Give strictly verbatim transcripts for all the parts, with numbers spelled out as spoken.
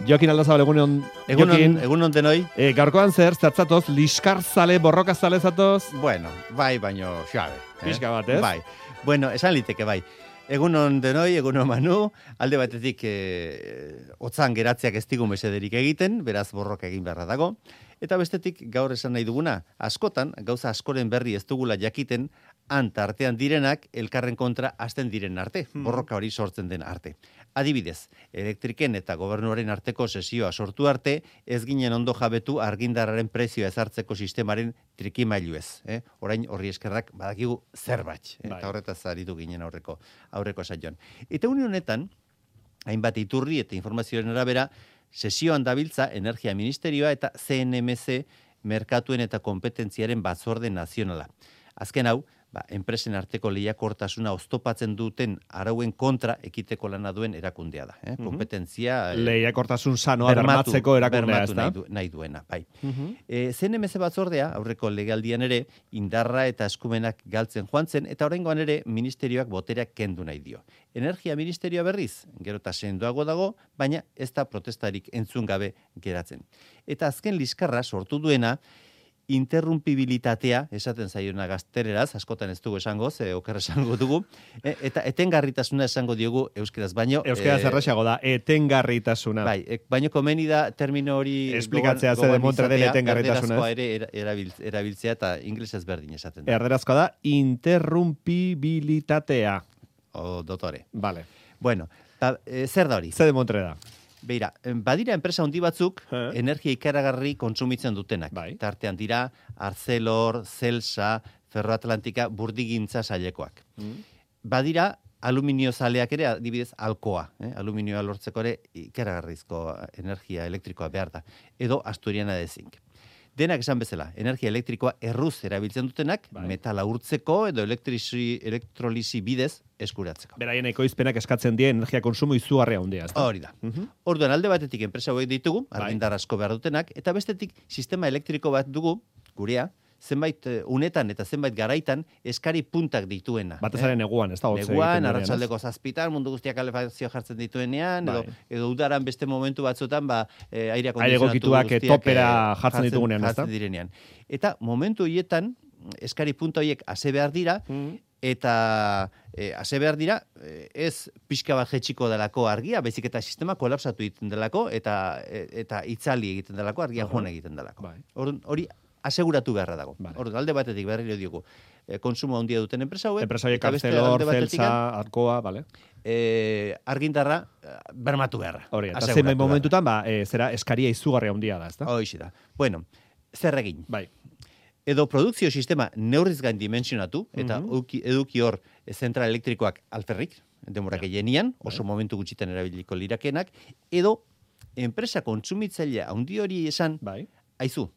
Jokin Aldazabal, egunon. Egunon, egunon denoi. E, gaurkoan zer, zatzatoz, liskarzale, borrokazale zatoz? Bueno, bai, baino, xabe. Pixka bat, ez? Bai. Bueno, esan liteke, bai. Egunon denoi, egunon Manu, alde batetik e, otzan geratzeak ez digu mesederik egiten, beraz borroka egin beharra dago. Eta bestetik gaur esan nahi duguna, askotan, gauza askoren berri ez dugula jakiten, antartean direnak elkarren kontra hasten diren arte, borroka hori sortzen den arte. Adibidez, elektriken eta gobernuaren arteko sesioa sortu arte, ez ginen ondo jabetu argindarraren prezioa ezartzeko sistemaren trikimailu ez. Eh? Orain horri eskerrak badakigu zerbait, eh? Eta horretaz aritu ginen aurreko, aurreko saioan. Eta une honetan, hainbat iturri eta informazioaren arabera, sesioan dabiltza Energia Ministerioa eta C N M C merkatuen eta kompetentziaren batzorde nazionala. Azken hau, ba, enpresen arteko lehiakortasuna oztopatzen duten arauen kontra ekiteko lana duen erakundea da. Eh? Kompetentzia... Mm-hmm. Lehiakortasun sanoa bermatzeko erakundea ez da? Nahi, du, nahi duena, bai. Mm-hmm. e, C N M C batzordea, aurreko legealdian ere, indarra eta eskumenak galtzen joan zen, eta oraingoan ere ministerioak botereak kendu nahi dio. Energia Ministerioa berriz, gero eta sendoago dago, baina ez da protestarik entzun gabe geratzen. Eta azken liskarra sortu duena, interrumpibilitatea, esaten zaiona gaztereraz, askotan ez dugu esango, ze oker esango dugu, e, eta etengarritasuna esango diogu euskeraz baino. Euskeraz e, erraxago da, etengarritasuna. Bai, e, baino komeni da termino hori... Esplikatzea ze demontre den etengarritasuna. Erderazkoa ere erabiltz, erabiltzea eta inglesez berdin esaten da. Erderazkoa da, interrumpibilitatea. O, dotore. Vale. Bueno, ta, e, zer da hori? Ze demontre da? Beira, badira enpresa handi batzuk eh? energia ikaragarri kontsumitzen dutenak. Bai. Tartean dira Arcelor, Celsa, Ferroatlantika, burdigintza sailekoak. Mm. Badira aluminio zaleak ere, adibidez, Alcoa. Eh? Aluminioa lortzeko ere ikaragarrizko energia elektrikoa behar da. Edo Asturiana de Zinc. Denak esan bezala, energia elektrikoa erruz erabiltzen dutenak, bai. Metala urtzeko edo elektrisi, elektrolisi bidez eskuratzeko. Beraien ekoizpenak eskatzen die energia konsumo izugarria handia, ezta? Hori da. Uh-huh. Orduan alde batetik enpresa hauek ditugu, argindar asko behar dutenak, eta bestetik sistema elektriko bat dugu, gurea, zenbait unetan eta zenbait garaitan eskari puntak dituena. Batezaren eh? neguan, ez da? Neguan, arratsaldeko zazpitan, mundu guztiak kalefazio jartzen dituenean, bai. edo, edo udaran beste momentu batzutan, ba, e, aire akondizionatu guztiak topera jartzen ditugunean, ez da? Jartzen direnean. Eta momentu horietan, eskari punta horiek ase behar dira, mm. eta e, ase behar dira, ez pixka bat jetxiko delako argia, baizik eta sistema kolapsatu egiten delako, eta, eta itzali egiten delako, argia uh-huh. joan egiten delako. Bai. Hori aseguratu beharra dago. Vale. Orduan, alde batetik berriro diogu, e, konsumo handia duten enpresa hauek. Enpresa hauek Arcelor, Celsa, Alcoa, vale. E, argindarra bermatu beharra. Hori, eta zenbait momentutan, ba, e, zera eskaria izugarria handia da, ezta? Hoixe da. Bueno, zer egin? Bai. Edo produkzio sistema neurriz gain dimensionatu, eta mm-hmm. eduki hor zentral elektrikoak alferrik, demorak yeah. egenian, oso bai. Momentu gutxitan erabiliko lirakenak, edo enpresa kontsumitzailea handi hori esan, bai. Aizu,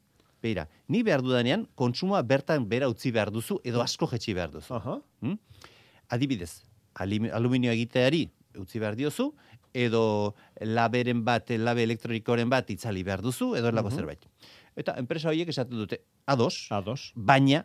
beira, ni behar dudanean, kontsumoa bertan bera utzi behar duzu, edo asko jetxi behar duzu. Uh-huh. Hmm? Adibidez, aluminio egiteari utzi behar diozu, edo laberen bat, labe elektronikoren bat itzali behar duzu, edo erlako uh-huh. zerbait. Eta enpresa horiek esaten dute, ados, ados. Baina,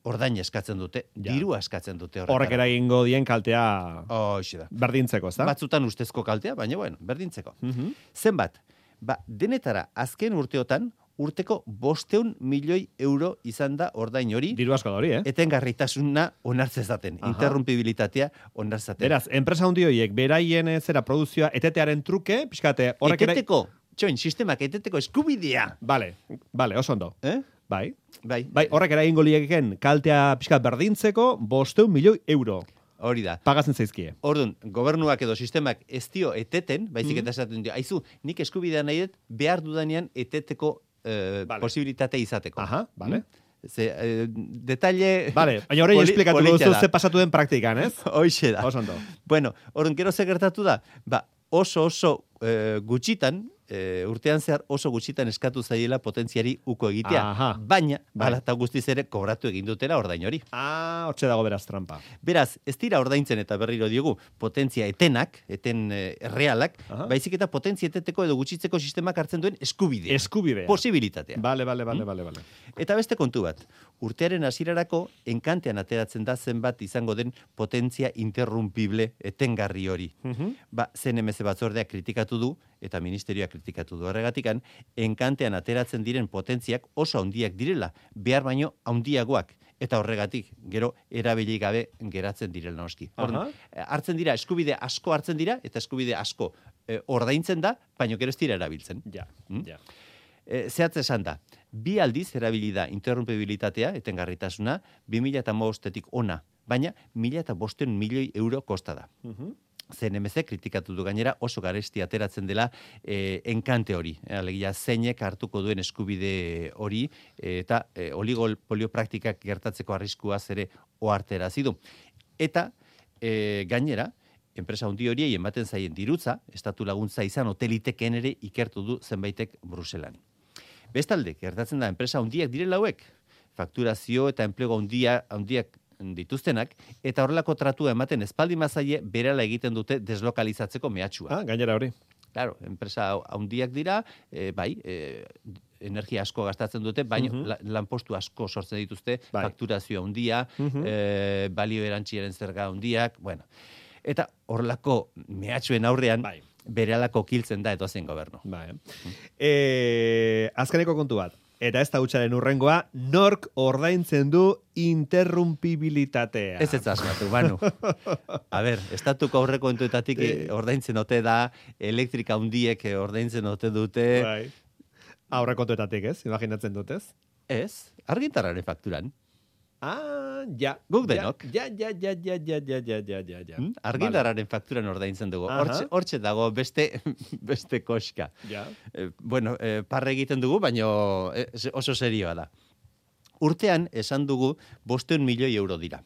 ordaina eskatzen dute, ja. Diru eskatzen dute horretara. Horrek eragingo dien kaltea oh, berdintzeko, ezta? Batzutan ustezko kaltea, baina bueno, berdintzeko. Uh-huh. Zenbat, ba, denetara azken urteotan, urteko bosteun milioi euro izan da ordain hori. Diru asko da hori, eh? Etengarritasuna onartzezaten, interrumpibilitatea onartzezaten. Beraz, enpresa handi horiek, beraien zera produzioa etetearen truke, pixkate, horrek ere... Eteteko, txoin, sistemak eteteko eskubidea. Vale, vale, oso ondo. Eh? Bai. Bai. Bai, horrek eragingo liekeken kaltea pixkat berdintzeko bosteun milioi euro. Hori da. Pagatzen zaizkie. Orduan, gobernuak edo sistemak ez dio eteten, baizik eta esaten dio, aizu, nik eskubidea nahi dut, behar dudanean eteteko eh, vale. Posibilitate izateko. Aha, vale. Ze, eh, detalle... Vale, baina horrein esplikatu duzu ze pasatu den praktikan, ez? Hoixe da. Oso ondo. Bueno, orduan, gero ze gertatu da, ba, oso oso eh, gutxitan, e, urtean zehar oso gutxitan eskatu zaiela potentziari uko egitea. Aha. Baina, bai. Hala eta guztiz ere kobratu egin dutela ordain hori. Ah, hortxe dago beraz trampa. Beraz, ez dira ordaintzen eta berriro diogu potentzia etenak, eten e, realak, Aha. baizik eta potentzia eteteko edo gutxitzeko sistemak hartzen duen eskubidea. Eskubidea. Posibilitatea. Bale, bale, bale, hmm? bale, bale. Eta beste kontu bat. urtearen hasierarako enkantean ateratzen da zenbat izango den potentzia interrumpible etengarri hori. Mhm. Ba, C N M C batzordeak kritikatu du, eta ministerioak kritikatu du horregatikan, enkantean ateratzen diren potentziak oso handiak direla, behar baino handiagoak. Eta horregatik, gero, erabili gabe geratzen direla noski. Hor, hartzen dira, eskubide asko hartzen dira, eta eskubide asko e, ordaintzen da, baino gero ez dira erabiltzen. Ja, Hmm? ja. E, zehatz esan da, bi aldiz erabili da interrumpibilitatea, etengarritasuna, bi mila hamabostetik ona, baina mila bosteun milioi euro kosta da. Mhm. C N M C kritikatu du gainera oso garesti ateratzen dela e, enkante hori. E, alegia zeinek hartuko duen eskubide hori e, eta e, oligopolio praktikak gertatzeko arriskuaz ere ohartarazi du. Eta e, gainera, enpresa handi horiei ematen zaien dirutza, estatu laguntza izan hoteliteken ere ikertu du zenbaitek Bruselan. Bestalde, gertatzen da enpresa handiak direla hauek, fakturazio eta enplegu handia handiak dituztenak, eta horrelako tratua ematen espaldi mazaie berala egiten dute deslokalizatzeko mehatxua. Ah, gainera hori. Claro, enpresa handiak dira, e, bai, e, energia asko gastatzen dute, baina Mhm. la, lanpostu asko sortzen dituzte, Bai. fakturazio handia, Mhm. e, balio erantziaren zerga handiak, bueno. Eta horrelako mehatxuen aurrean, Bai. berelako kiltzen da edozein gobernu. Bai. Eh, azkeneko kontu bat. Eta ez da hutsaren urrengoa, nork ordaintzen du interrumpibilitatea. Ez ez asmatu, banu. A ber, estatuko aurrekontuetatik eh, ordaintzen ote da, elektrika handiek eh, ordaintzen ote dute. Bai. Aurrekontuetatik, ez? Imaginatzen dut, ez? Ez, argintarraren fakturan. Ah, ja. Guk denok. Ja, ja, ja, ja, ja, ja, ja, ja, ja, ja. Hmm? Argindarraren fakturan ordaintzen dugu. Aha. Hortxe, hortxe dago beste beste koska. Ja. Eh, bueno, eh, parre egiten dugu, baino eh, oso serioa da. Urtean esan dugu bosteun milioi euro dira.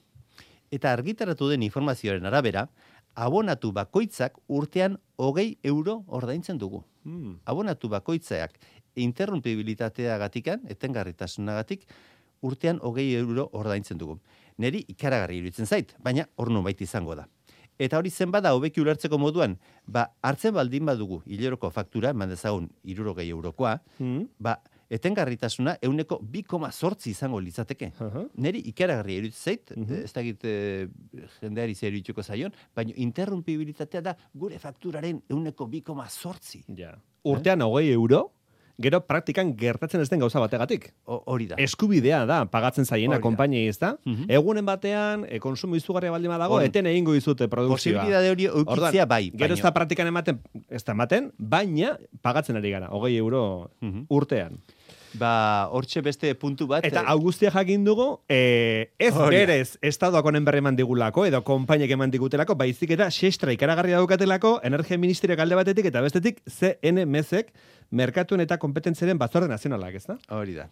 Eta argitaratu den informazioaren arabera, abonatu bakoitzak urtean hogei euro ordaintzen dugu. Hmm. Abonatu bakoitzak interrumpibilitateagatikan, etengarritasunagatik, urtean hogei euro ordaintzen dugu. Neri ikaragarri iruditzen zait, baina hor nonbait izango da. Eta hori zen bada hobeki ulertzeko moduan, ba, hartzen baldin badugu hileroko faktura, eman dezagun hirurogei eurokoa, Hmm. ba, etengarritasuna euneko bi koma zortzi izango litzateke. Aha. Neri ikaragarri iruditzen zait, Mhm. ez dakit e, jendeari zer irudituko zaion, baina interrumpibilitatea da gure fakturaren euneko bi koma zortzi. Ja. Urtean hogei euro, gero praktikan gertatzen ez den gauza bategatik. O- Hori da. Eskubidea da pagatzen zaiena Hori da. konpainiei, ez da? Mhm. Egunen batean, e, konsumo izugarria baldin badago, Hor- eten egingo dizute produkzioa. Posibilidade hori eukitzea bai. Gero ez baino- da praktikan ematen, ez da ematen, baina pagatzen ari gara, hogei euro Mhm. urtean. Ba, hortxe beste puntu bat. Eta eh, hau guztia jakin dugu, e, ez Hori da. berez estatuak honen berri eman digulako, edo konpainek eman digutelako, baizik eta sextra ikaragarria daukatelako, Energia Ministerioak alde batetik, eta bestetik C N M Cek merkatuen eta kompetentziaren batzorde nazionalak, ez da? Hori da.